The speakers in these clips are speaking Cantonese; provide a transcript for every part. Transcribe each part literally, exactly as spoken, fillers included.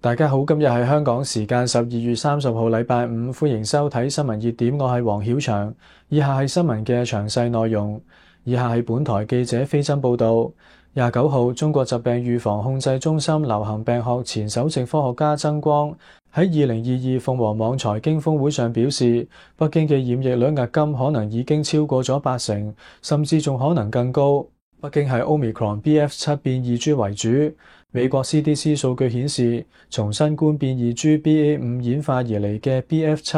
大家好，今日係香港時間十二月三十號，禮拜五，歡迎收睇新聞熱點，我係黃曉翔。以下係新聞嘅詳細內容。以下係本台記者飛真報道。廿九號，中國疾病預防控制中心流行病學前首席科學家曾光喺二零二二鳳凰網財經峰會上表示，北京嘅染疫率壓金可能已經超過咗八成，甚至仲可能更高。北京係 Omicron B F 七 變異株為主。美國 C D C 數據顯示，從新冠變異株 B A 五 演化而嚟嘅 B F 七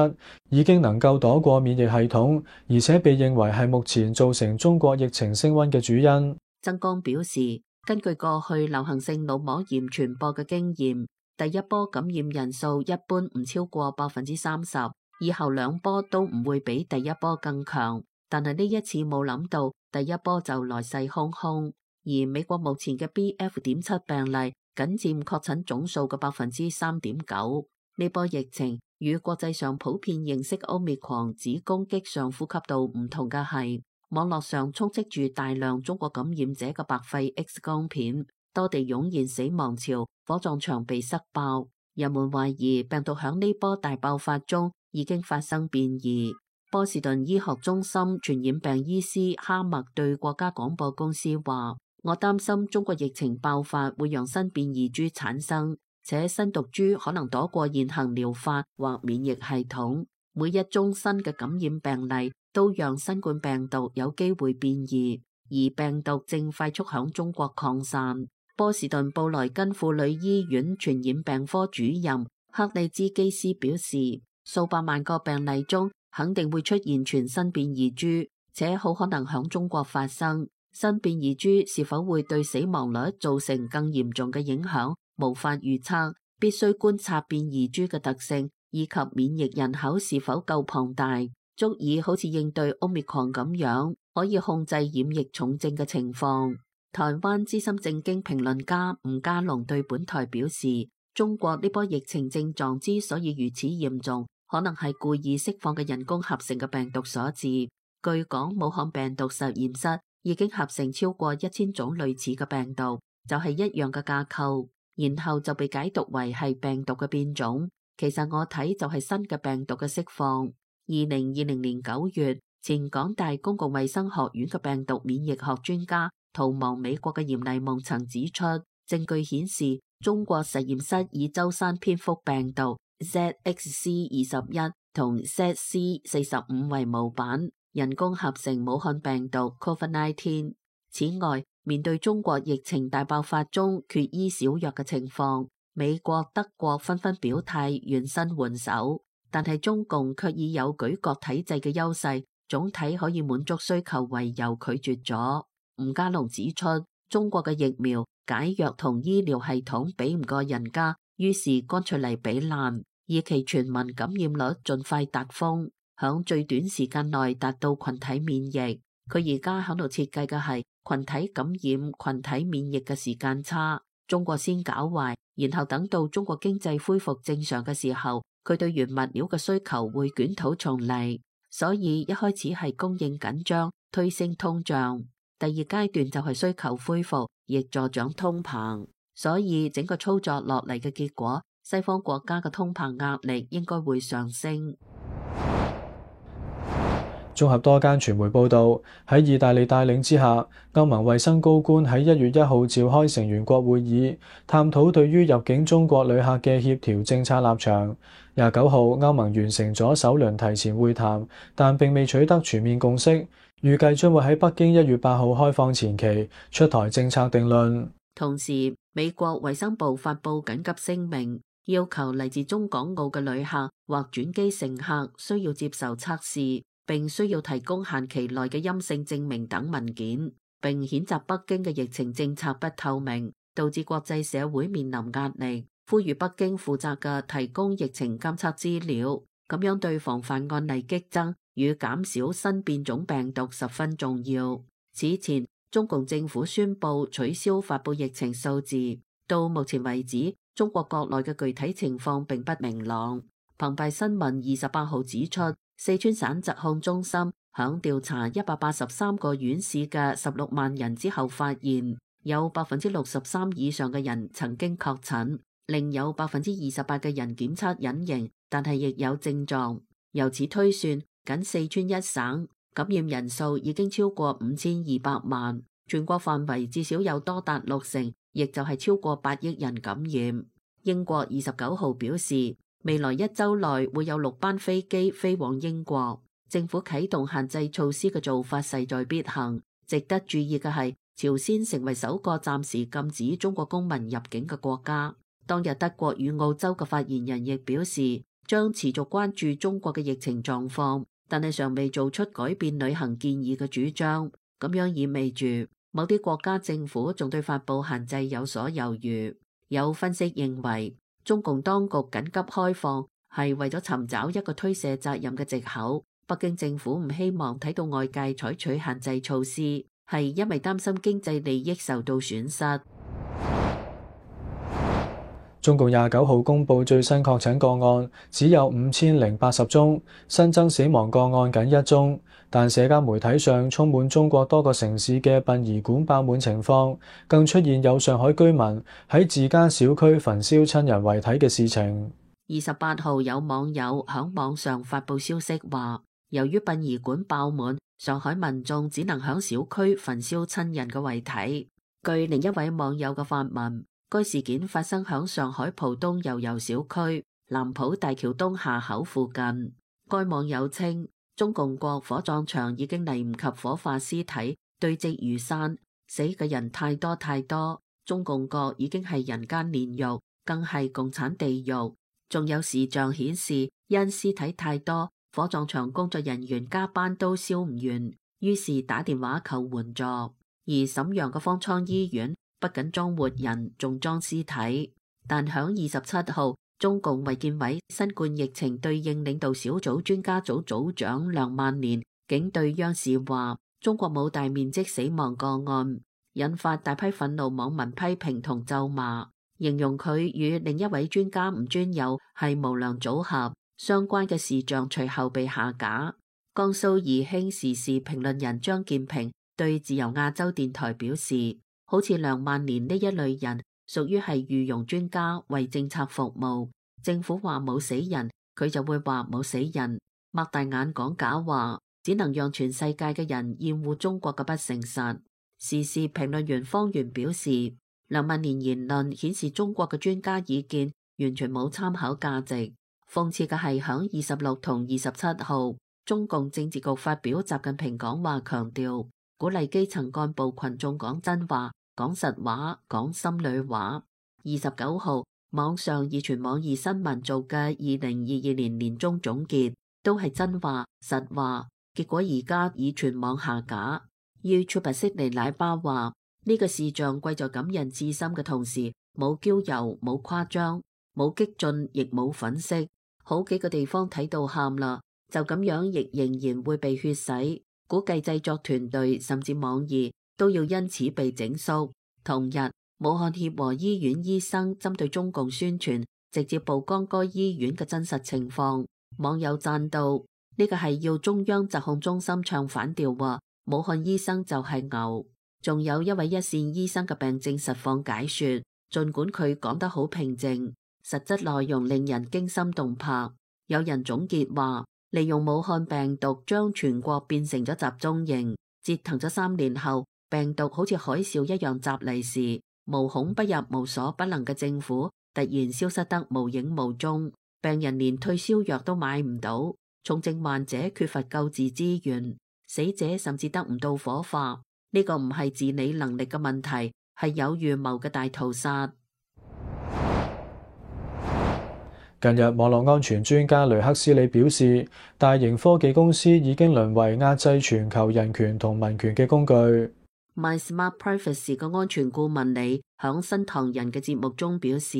已經能夠躲過免疫系統，而且被認為係目前造成中國疫情升溫嘅主因。曾光表示，根據過去流行性腦膜炎傳播嘅經驗，第一波感染人數一般唔超過百分之三十，以後兩波都唔會比第一波更強。但係呢一次冇諗到，第一波就來勢洶洶。而美國目前嘅 B F 點七 病例僅佔確診總數嘅百分之三點九。呢波疫情與國際上普遍認識 Omicron 只攻擊上呼吸道唔同嘅係，網絡上充斥住大量中國感染者嘅白肺 X 光片，多地湧現死亡潮，火葬場被塞爆。人們懷疑病毒響呢波大爆發中已經發生變異。波士頓醫學中心傳染病醫師哈默對國家廣播公司話，我擔心中國疫情爆發會讓新變異株產生，且新毒株可能躲過現行療法或免疫系統。每一宗新嘅感染病例都讓新冠病毒有機會變異，而病毒正快速響中國擴散。波士頓布萊根婦女醫院傳染病科主任克里茲基斯表示，數百萬個病例中肯定會出現全新變異株，且好可能響中國發生。新變異株是否會對死亡率造成更嚴重嘅影響，無法預測，必須觀察變異株嘅特性以及免疫人口是否夠龐大，足以好似應對 Omicron 咁樣，可以控制染疫重症嘅情況。台灣資深政經評論家吳家龍對本台表示，中國呢波疫情症狀之所以如此嚴重，可能係故意釋放嘅人工合成嘅病毒所致。據講，武漢病毒實驗室已經合成超過一千種類似嘅病毒，就係一樣嘅架構，然後就被解讀為係病毒嘅變種。其實我睇就係新嘅病毒嘅釋放。二零二零年九月，前港大公共衛生學院嘅病毒免疫學專家逃亡美國嘅嚴麗夢曾指出，證據顯示中國實驗室以舟山蝙蝠病毒 Z X C 二十一同 Z C 四十五為模板，人工合成武漢病毒 COVID 十九。此外，面對中國疫情大爆發中缺醫少藥嘅情況，美國、德國紛紛表態願伸援手，但係中共卻以有舉國體制嘅優勢，總體可以滿足需求為由拒絕咗。吳家龍指出，中國嘅疫苗、解藥同醫療系統比唔過人家，於是乾脆嚟比爛，以期全民感染率盡快達峰，響最短時間內達到群體免疫。佢而家響度設計嘅係群體感染、群體免疫嘅時間差。中國先搞壞，然後等到中國經濟恢復正常嘅時候，佢對原物料嘅需求會捲土重嚟。所以一開始係供應緊張，推升通脹。第二階段就係需求恢復，亦助長通膨。所以整個操作落嚟嘅結果，西方國家嘅通膨壓力應該會上升。綜合多間傳媒報道，喺意大利帶領之下，歐盟衛生高官喺一月一號召開成員國會議，探討對於入境中國旅客嘅協調政策立場。廿九號，歐盟完成咗首輪提前會談，但並未取得全面共識，預計將會喺北京一月八號開放前期出台政策定論。同時，美國衛生部發布緊急聲明，要求嚟自中港澳嘅旅客或轉機乘客需要接受測試，並需要提供限期內嘅陰性證明等文件，並譴責北京嘅疫情政策不透明，導致國際社會面臨壓力，呼籲北京負責嘅提供疫情監測資料，咁樣對防範案例激增與減少新變種病毒十分重要。此前，中共政府宣布取消發布疫情數字，到目前為止，中國國內嘅具體情況並不明朗。澎湃新聞二十八號指出，四川省疾控中心響調查一百八十三個縣市嘅十六萬人之後，發現有百分之六十三以上嘅人曾經確診，另有百分之二十八嘅人檢測隱形，但係亦有症狀。由此推算，僅四川一省感染人數已經超過五千二百萬，全國範圍至少有多達六成，亦就係超過八億人感染。英國二十九號表示，未來一周內會有六班飛機飛往英國。政府啟動限制措施嘅做法勢在必行。值得注意嘅係，朝鮮成為首個暫時禁止中國公民入境嘅國家。當日德國與澳洲嘅發言人亦表示，將持續關注中國嘅疫情狀況，但係尚未做出改變旅行建議嘅主張。咁樣意味住某啲國家政府仲對發布限制有所猶豫。有分析認為，中共當局緊急開放係為咗尋找一個推卸責任嘅藉口。北京政府唔希望睇到外界採取限制措施，係因為擔心經濟利益受到損失。中共廿九號公布最新確診個案只有五千零八十宗，新增死亡個案僅一宗。但社交媒體上充滿中國多個城市嘅殯儀館爆滿情況，更出現有上海居民喺自家小區焚燒親人遺體嘅事情。二十八號有網友響網上發布消息話，由於殯儀館爆滿，上海民眾只能響小區焚燒親人嘅遺體。據另一位網友嘅發文，該事件發生響上海浦東悠悠小區南浦大橋東下口附近。該網友稱，中共國火葬場已經嚟唔及火化屍體，堆積如山，死嘅人太多太多。中共國已經係人間煉獄，更係共產地獄。仲有視像顯示，因屍體太多，火葬場工作人員加班都燒唔完，於是打電話求援助。而瀋陽嘅方艙醫院不僅裝活人，仲裝屍體。但響二十七號，中共衛健委新冠疫情對應領導小組專家組組長梁萬年竟對央視話，中國冇大面積死亡個案，引發大批憤怒網民批評同咒罵，形容佢與另一位專家吳尊友係無良組合。相關嘅視像隨後被下架。江蘇宜興時事評論人張建平對自由亞洲電台表示，好似梁萬年呢一類人屬於係御用專家，為政策服務。政府話冇死人，佢就會話冇死人，擘大眼講假話，只能讓全世界嘅人厭惡中國嘅不誠實。時事評論員方源表示，梁萬年言論顯示中國嘅專家意見完全冇參考價值。諷刺嘅係響二十六同二十七號，中共政治局發表習近平講話，強調鼓勵基層幹部群眾講真話、講實話、講心裏話。二十九號，網上已傳網易新聞做嘅二零二二年年終總結都係真話、實話，結果而家已全網下架。YouTube 悉尼奶爸話，呢個視像貴在感人至深嘅同時，冇嬌柔、冇誇張、冇激進，亦冇粉飾。好幾個地方睇到喊啦，就咁樣亦仍然會被血洗。估計製作團隊甚至網易都要因此被整肅。同日，武漢協和醫院醫生針對中共宣傳，直接曝光該醫院嘅真實情況。網友讚道：呢個係要中央疾控中心唱反調喎，武漢醫生就係牛。仲有一位一線醫生嘅病症實況解說，儘管佢講得好平靜，實質內容令人驚心動魄。有人總結話，利用武漢病毒將全國變成咗集中營，折騰咗三年後，病毒好似海嘯一樣襲嚟時，無孔不入、無所不能嘅政府突然消失得無影無蹤，病人連退燒藥都買唔到，重症患者缺乏救治資源，死者甚至得唔到火化。呢個唔係治理能力嘅問題，係有預謀嘅大屠殺。近日，網絡安全專家雷克斯里表示，大型科技公司已經淪為壓制全球人權同民權嘅工具。MySmartPrivacy 嘅安全顧問李響新唐人嘅節目中表示，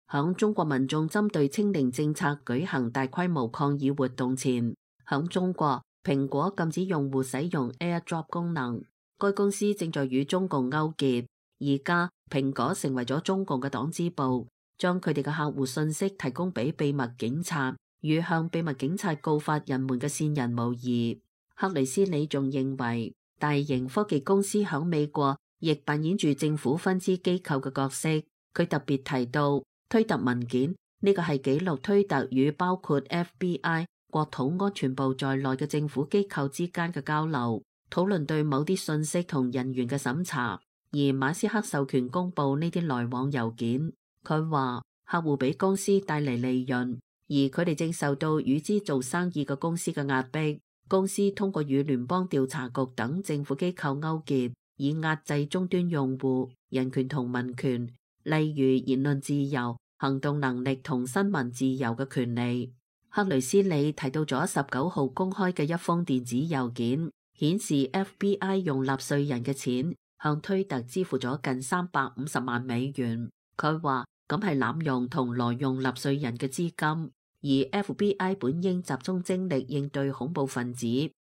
響中國民眾針對清零政策舉行大規模抗議活動前，響中國蘋果禁止用戶使用 AirDrop 功能，該公司正在與中共勾結。而家蘋果成為咗中共嘅黨支部，將佢哋嘅客戶信息提供俾秘密警察，與向秘密警察告發人們嘅線人無異。克里斯里仲認為，大型科技公司響美國亦扮演住政府分支機構嘅角色。佢特別提到，推特文件，呢個係記錄推特與包括 F B I、國土安全部在內嘅政府機構之間嘅交流，討論對某啲信息同人員嘅審查。而馬斯克授權公佈呢啲來往郵件。佢話客戶俾公司帶嚟利潤，而佢哋正受到與之做生意嘅公司嘅壓迫。公司通過與聯邦調查局等政府機構勾結，以壓制終端用戶人權同民權，例如言論自由、行動能力同新聞自由嘅權利。克雷斯里提到咗十九號公開嘅一封電子郵件，顯示 F B I 用納稅人嘅錢向推特支付咗近三百五十萬美元。佢話咁係濫用同挪用納稅人嘅資金。而 F B I 本應集中精力應對恐怖分子，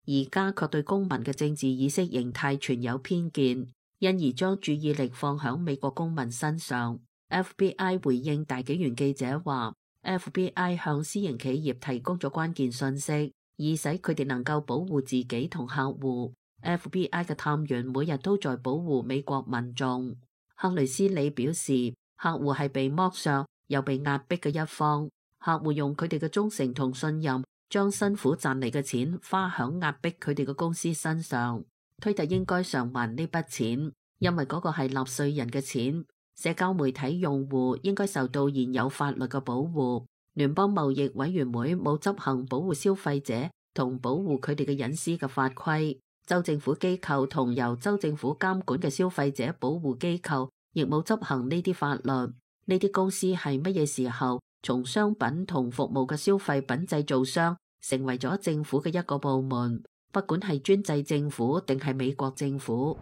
而家卻對公民嘅政治意識形態存有偏見，因而將注意力放響美國公民身上。F B I 回應大紀元記者話 F B I 向私營企業提供咗關鍵信息，以使佢哋能夠保護自己同客戶。F B I 嘅探員每日都在保護美國民眾。克雷斯里表示，客戶係被剝削又被壓迫嘅一方。客戶用佢哋嘅忠誠同信任，將辛苦賺嚟嘅錢花響壓迫佢哋嘅公司身上。推特應該償還呢筆錢，因為嗰個係納稅人嘅錢。社交媒體用戶應該受到現有法律嘅保護。聯邦貿易委員會冇執行保護消費者同保護佢哋嘅隱私嘅法規。州政府機構同由州政府監管嘅消費者保護機構亦冇執行呢啲法律。呢啲公司係乜嘢時候從商品同服務嘅消費品製造商成為咗政府嘅一個部門，不管係專制政府定係美國政府。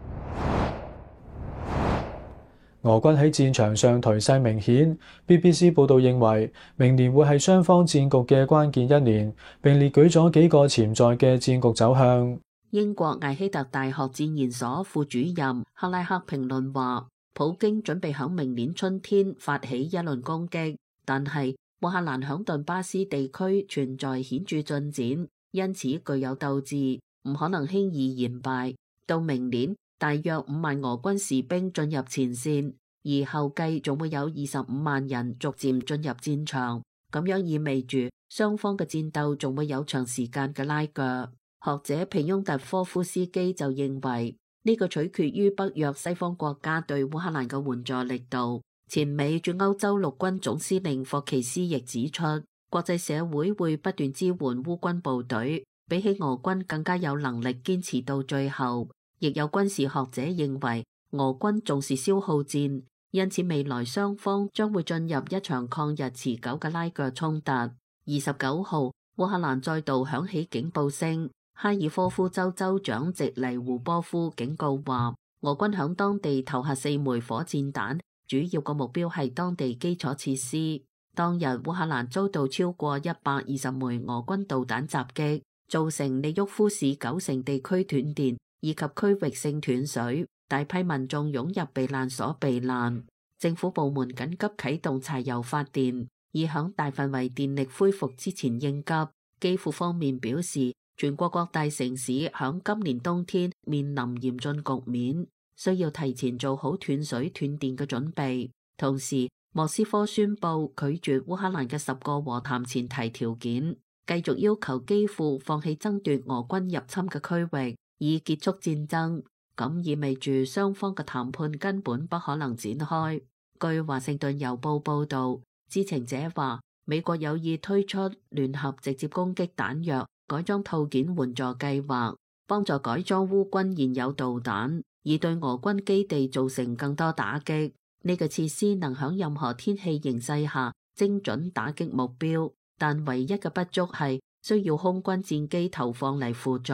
俄軍喺戰場上頹勢明顯。B B C 報道認為，明年會係雙方戰局嘅關鍵一年，並列舉咗幾個潛在嘅戰局走向。英國艾希特大學戰研所副主任克拉克評論話，普京準備響明年春天發起一輪攻擊。但係烏克蘭響頓巴斯地區存在顯著進展，因此具有鬥志，唔可能輕易言敗。到明年，大約五萬俄軍士兵進入前線，而後繼仲會有二十五萬人逐漸進入戰場。咁樣意味住雙方嘅戰鬥仲會有長時間嘅拉鋸。學者皮翁特科夫斯基就認為，呢個取決於北約西方國家對烏克蘭嘅援助力度。前美駐歐洲陸軍總司令霍奇斯亦指出，國際社會會不斷支援烏軍部隊，比起俄軍更加有能力堅持到最後。亦有軍事學者認為，俄軍重視消耗戰，因此未來雙方將會進入一場抗日持久嘅拉鋸衝突。二十九號，烏克蘭再度響起警報聲，哈爾科夫州州長席尼胡波夫警告話，俄軍響當地投下四枚火箭彈。主要個目標係當地基礎設施。當日烏克蘭遭到超過一百二十枚俄軍導彈襲擊，造成利沃夫市九成地區斷電以及區域性斷水，大批民眾湧入避難所避難。政府部門緊急啟動柴油發電，以響大範圍電力恢復之前應急。基輔方面表示，全國各大城市響今年冬天面臨嚴峻局面，需要提前做好斷水斷電嘅準備。同時，莫斯科宣布拒絕烏克蘭嘅十個和談前提條件，繼續要求基輔放棄爭奪俄軍入侵嘅區域，以結束戰爭。咁意味住雙方嘅談判根本不可能展開。據華盛頓郵報報導，知情者話，美國有意推出聯合直接攻擊彈藥改裝套件援助計劃，幫助改裝烏軍現有導彈，以對俄軍基地造成更多打擊。呢個設施能響任何天氣形勢下精準打擊目標，但唯一嘅不足係需要空軍戰機投放嚟輔助。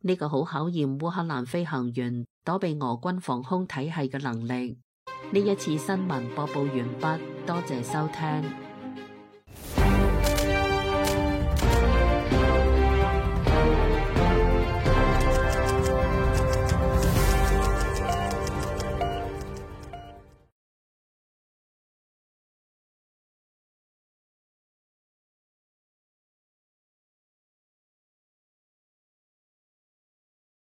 呢個好考驗烏克蘭飛行員躲避俄軍防空體系嘅能力。呢一次新聞播報完畢，多謝收聽。